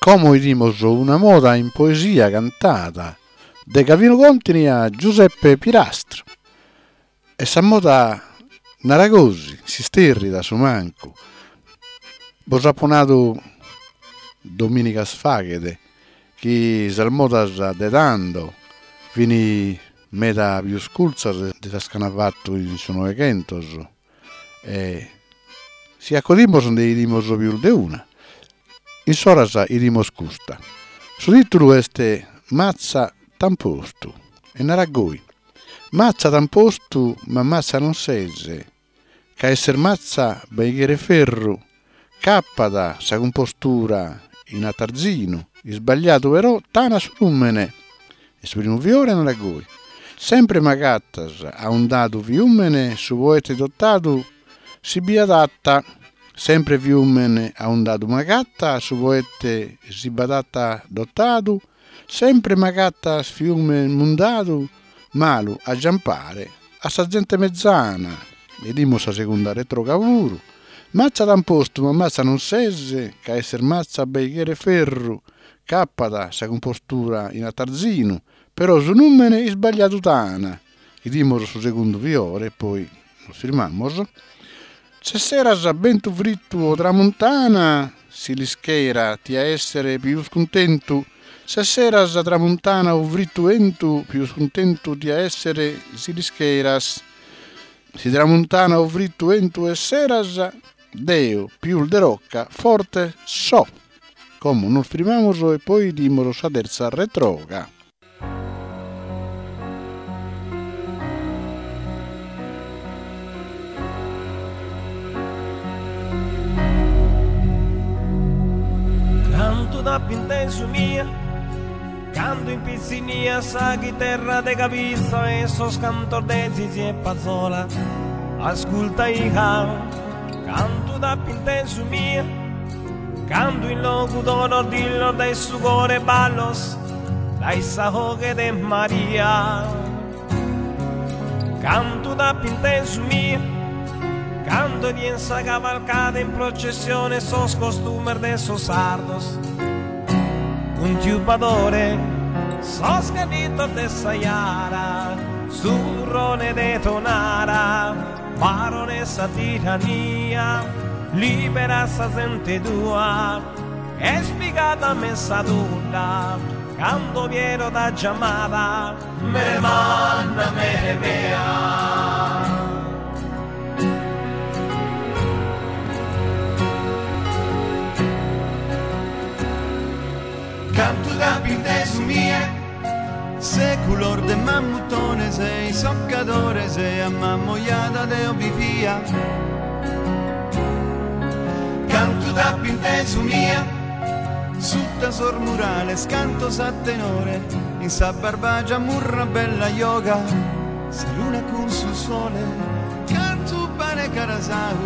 Como 'idimos una moda in poesia cantada de Gavinu Contini a Giuseppe Pirastru. E sa moda narat gosi, s'isterrit a su mancu. Bos apo nadu domìnigas faghet chi sas modas de tando fin meda pius curtzas de sas ch'ana fatu in su Noeghentos e si acodimos nde 'idimos pius de una. In s'oras 'idimos custa. Su titulu est Matza t'an postu e narat goi, Matza t'an postu ma matza non ses, ca esser matza bei cheret ferru, ch'apat sa cumpostura in atarzinu, isbagliadu però t'ana su numene. E su primu fiore narat goi, Sempre m'agatas aundadu fiumene su poete dotadu si bi adatta, sempre fiumene aundadu m'agatta su poete si b'adatta dotadu, sempre m'agatas fiume mundadu malu a giampare a sa zente mezzana, 'idimus sa segunda retroga puru, Mazza t'an postu ma mazza non ses, ca esser mazza bei cheret ferru, ch'apat sa cumpostura in atarzinu, però su numene isbagliadu t'ana. 'Idimus su segundu fiore, poi nos firmamos. S'esseras bentu frittu o tramuntana, si l'ischera tia esser pius cuntentu, s'esseras tramuntana o frittu 'entu, pius cuntentu tia esser si l'ischeras. Si tramuntana o frittu 'entu esseras, deo pius de rocca forte so. Como nos firmamos e poi 'idimos sa terza retroga. Cantu t'apo intesu mia Cando in pitzinnia sa chiterra de cabitza e sos cantos de Zizi e Pazzola ascultaia Cantu t'apo intesu mia Cando in Logudoro dillos dae su coro e ballos dae sa 'oghe de Maria Cantu t'apo intesu mia Cando 'idia sa cavalcada in processione sos costumes de sos sardos Cun tiu Badore sos cadditos de sa Jara su turrone de Tonara Baronessa tirannia libera sa zente tua Est pigada a me sa tudda cando Piero t'at giamada Mere manna mere mea. Cantu t'apo intesu mia Seculos de mammutones e issoccadores e a Mamoiada deo bi fia. Cantu t'apo intesu mia Sutta sos murales cantos a tenore in sa Barbagia murra bella joga sa luna cun su sole cantu pane carasau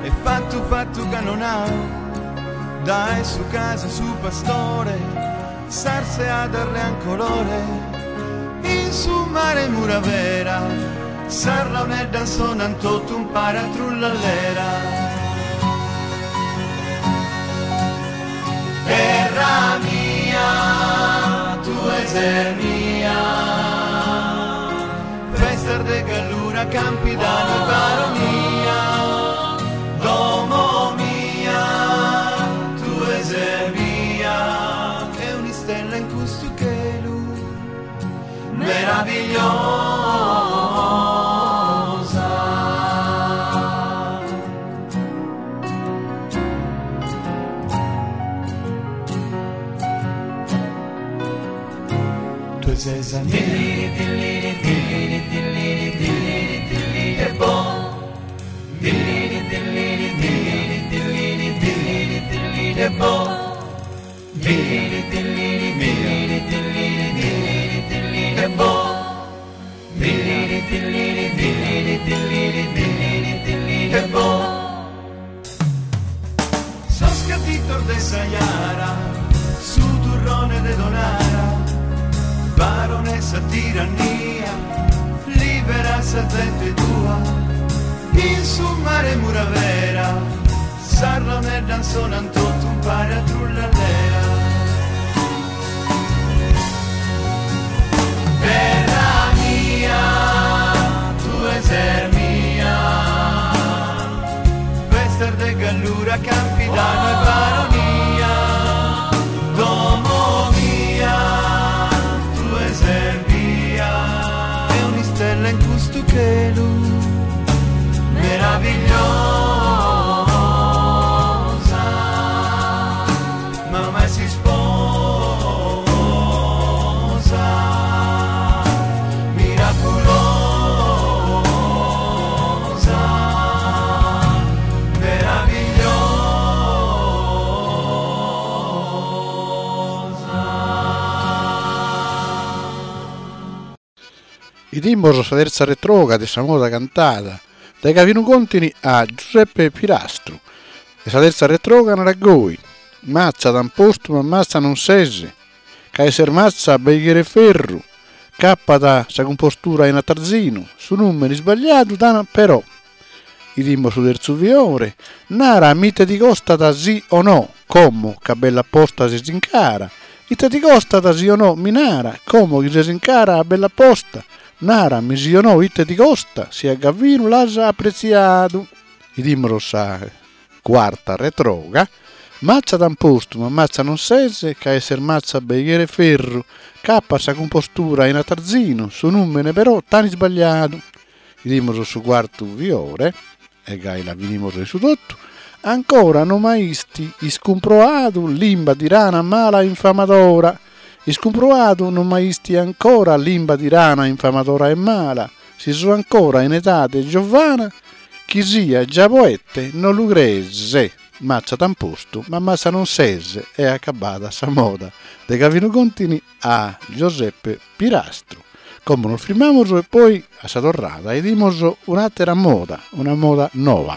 e fattu fattu cannonau dae su casu 'e su pastore s'artziadas lean colore in su mare 'e Muravera sas launeddas sonan totu umpare a trullallera. Terra mia, tue ses mia. Festas de Gallura, Campidanu e Baronia, domo mia, tue ses bia che un'istella in custu chelu meravigliosa. Tue ses sa mia. Sos cadditos de sa Jara, su turrone de Tonara, baronessa tirannia, libera sa zente tua, in su mare 'e Muravera, sas launeddas sonan totu umpare a trullallera. Baronia, domo mia, tue ses bia. E un'istella in custu chelu meravigliosa, mama est s'isposa miraculosa, meravigliosa. Idimos sa terza retroga de sa moda cantada dae Gavinu Contini a Giuseppe Pirastru e sa terza retroga narat goi, Mazza t'an postu ma mazza non ses, ca esser mazza bei cheret ferru, ch'apat sa cumpostura in atarzinu, su nùmene isbagliadu t'an però. Idimos su terzu fiore, nara mi ite ti costat si o no, como ca bella posta ses in cara, ite ti costat si o no mi nara, como chi ses in cara bella posta, nara mi si o no ite ti costa, si a Gavinu l'as apretziadu. Idimos sa cuarta retroga, Mazza t'an postu ma mazza non ses, ca esser mazza bei cheret ferru, ch'apat sa cumpostura in atarzinu, su nùmene però t'an isbagliadu. Idimos su cuartu fiore, e gai la finimos in su totu, ancora no m'aisti iscumproadu limba tirana mala infamadora, iscumproadu no m'aisti ancora limba tirana infamadora e mala, si so ancora in edade giovana, chi sia già poete no lu crees, mazza t'an postu ma mazza non ses, e acabada sa moda de Gavinu Contini a Gioseppe Pirastru. Como nos frimmamus e poi a sa torrada 'idimus un'àtera moda, una moda noa.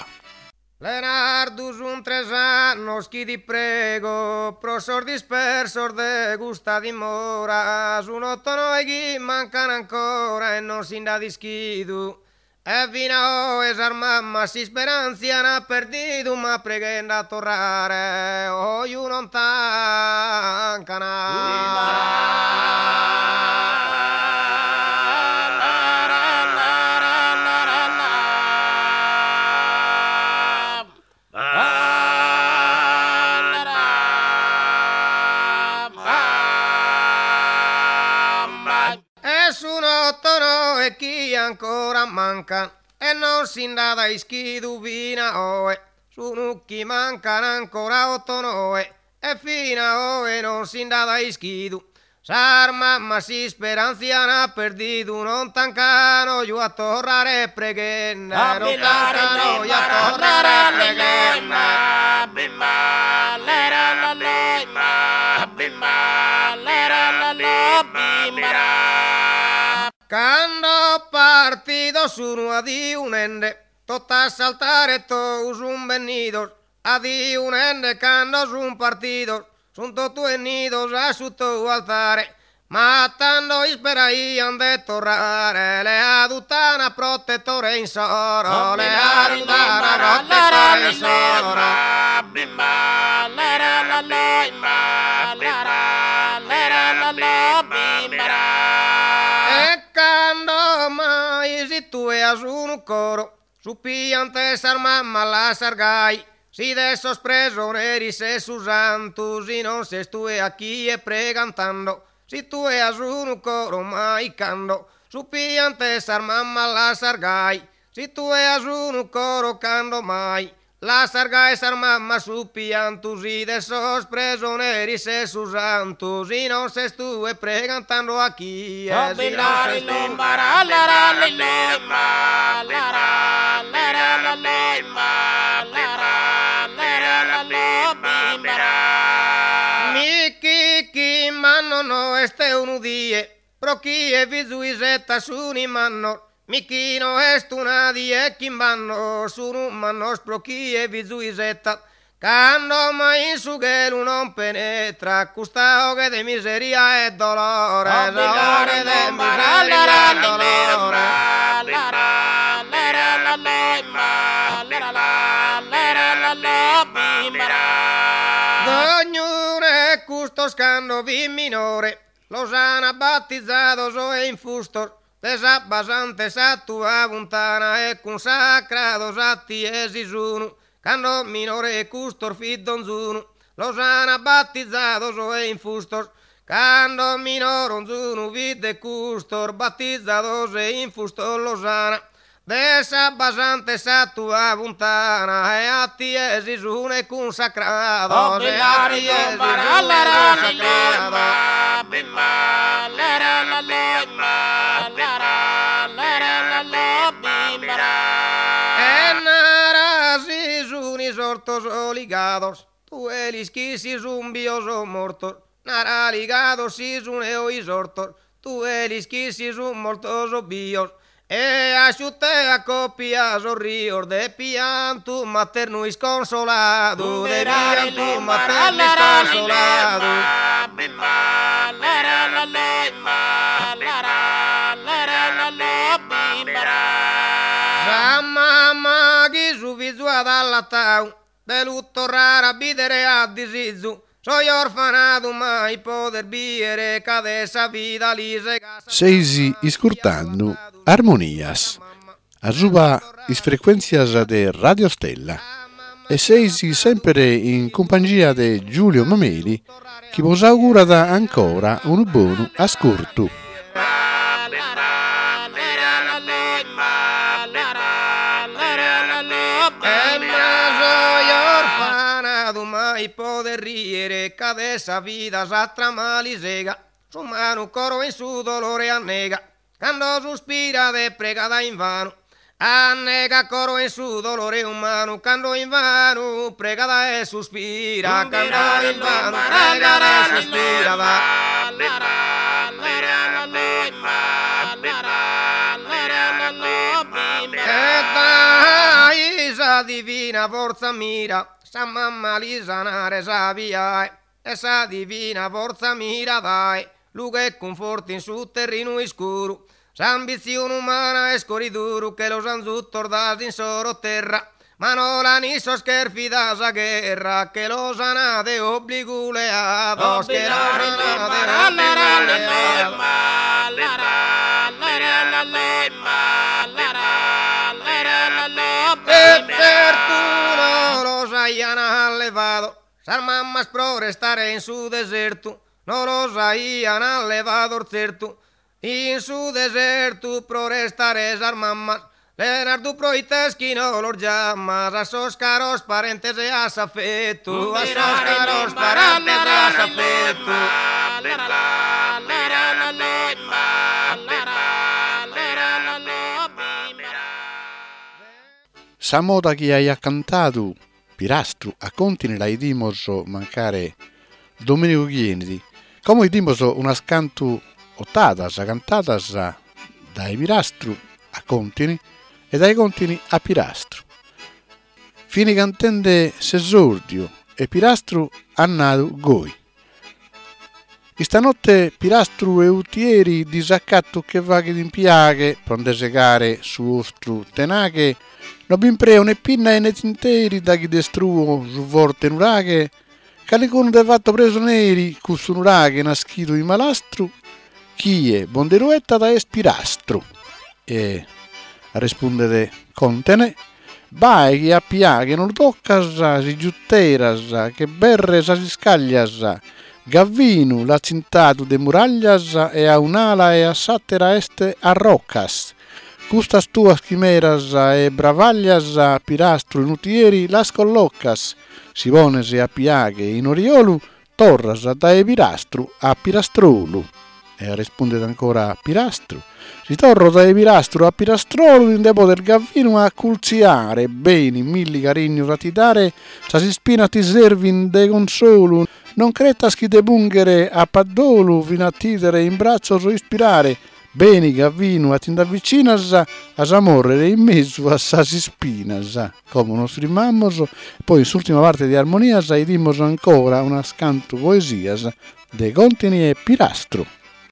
Lenardu sun tres annos chi ti prego pro sos dispersos de custa dimora, sun otto noe chi mancan ancora e non si nd'at ischidu E fin'a oe sas mammas s'isperantzia an perdidu ma preghende a torrare oju non tancan. E sun otto noe chi ancora mancan e non si nd'at ischidu fin'a oe, sunu chi mancan ancora otto noe e fin'a oe non si nd'at ischidu. Sas mammas s'isperantzia an perdidu non tancan oju a torrare preghende non tancan oju a torrare preghende. Cando partidos sunu adiu nende, tot'a s'altare tou sun bennidos, adiu nende cando sun partidos, sun totu 'ennidos a su tou altare, ma tando isperaian de torrare, leadu t'an a protettore insoro, leadu t'an a protettore insoro. E cando mai si tue as unu coro, su piant' 'e sas mammas lassas gai, si de sos presoneris ses su santu, si non ses tue a chie pregan tando, si tue as unu coro mai cando, su piant' 'e sas mammas lassas gai, si tue as unu coro cando mai, Lassas gai sas mammas su piantu si de sos presoneris ses su santu si non ses tue pregan tando a chie si non ses tue Mi chi chi mannos no est unu die pro chie fizu isettat sun mannos Mi chi no est una die chimb'annos sunu mannos pro chie fizu isettat cando mai in su chelu non penetrat custa 'oghe de miseria e dolore sa 'oghe de miseria e dolore. Dognunu 'e custos cando fit minore los an battizados e infustos De s'abba santa 'e sa tua funtana e cunsacrados a tie si sunu. Cando minore 'e custos fit donzunu, los ana battizados e infustos. Cando minore onzunu fit de custos, battizados e infustos los ana. De s'abba santa 'e sa tua funtana e a tie si sune cunsacrados e a tie si sune cunsacrados. E nara si sun isortos o ligados, tue l'ischis si sun bios o mortos, nara ligados si sune o isortos, tue l'ischis si sun mortos o bios, e asciutte a copia sos rios de piantu maternu isconsoladu, de piantu maternu isconsoladu. Sa mama chi su fizu at allatadu De lu torrare a bìdere at disizu, Soi orfanadu mai poder bìere ca de sa vida li segat sa Seis iscurtando Armonias asuba is frecuèntzias de Radio Stella e seis semper in cumpangia de Giulio Mameli chi bos augurat ancora unu bonu ascurtu. E ma soi orfanadu mai poder riere ca de sa vida sa trama li sega s'umanu coro in su dolore annega cando suspirat e pregat invanu Annega coro in su dolore umanu cando invanu pregat e suspirat cando invanu pregat e suspirat. E dai sa divina fortza mira sa mamma li sanare sa piae e sa divina fortza mira dae lughe e cunfortu in su terrinu iscuru S'ambitzione umana est coriduru che los an zutos da s'insoro terra, ma no l'an issos cherfida sa gherra che los an de obbligu leados, che los an de obbligu leados. E tzertu no los aian allevados sas mamas pro restare in su desertu, no los aian allevados tzertu In su desertu pro restare sas mammas, Lenardu proit'est chi no los giamas a sos caros parentes e a s'afetu, a sos caros parentes e a s'afetu. Sa moda chi aiat cantadu Pirastru a Contini la 'idimos mancare dominigu chi 'enit. Como 'idimos unas cantu otadas cantadas dae Pirastru a Contini e dae Contini a Pirastru. Fini cantende s'esordiu e Pirastru at nadu goi. Istanotte Pirastru 'e Utieri disacattu che faghet in Piaghe pro nde segare su 'ostru tenaghe no b'impreo ne pinna e ne tinteri daghi destruo su forte nuraghe calicunu nde fatto presoneri cussu nuraghe naschidu in malastru chie bo nde lu 'ettat est Pirastru e respundet Còntene Bae chi a Piaghe no lu toccas si giutteras che berre sas iscaglias, Gavinu l'at tzintadu de muraglias e a un'ala e a s'àtera est a roccas. Custas tuas chimeras e bravaglias Pirastru in Utieri las collocas, si pones a Piaghe in oriolu Torras dae Pirastru a Pirastrolu. E respundet ancora Pirastru, Si torro dae Pirastru a Pirastrolu ti nde podes Gavinu acultziare, beni milli carignos a ti dare, sas ispinas ti servin de consolu, non cretas chi de punghere apat dolu fin'a t'idere in bratzos ispirare, Beni Gavinu a ti nd'avvicinas as a mòrrere in mesu a sas ispinas. Como nos frimmamos, poi in s'ùrtima parte de Armonias 'idimos ancora unas cantu poesias de Contini e Pirastru.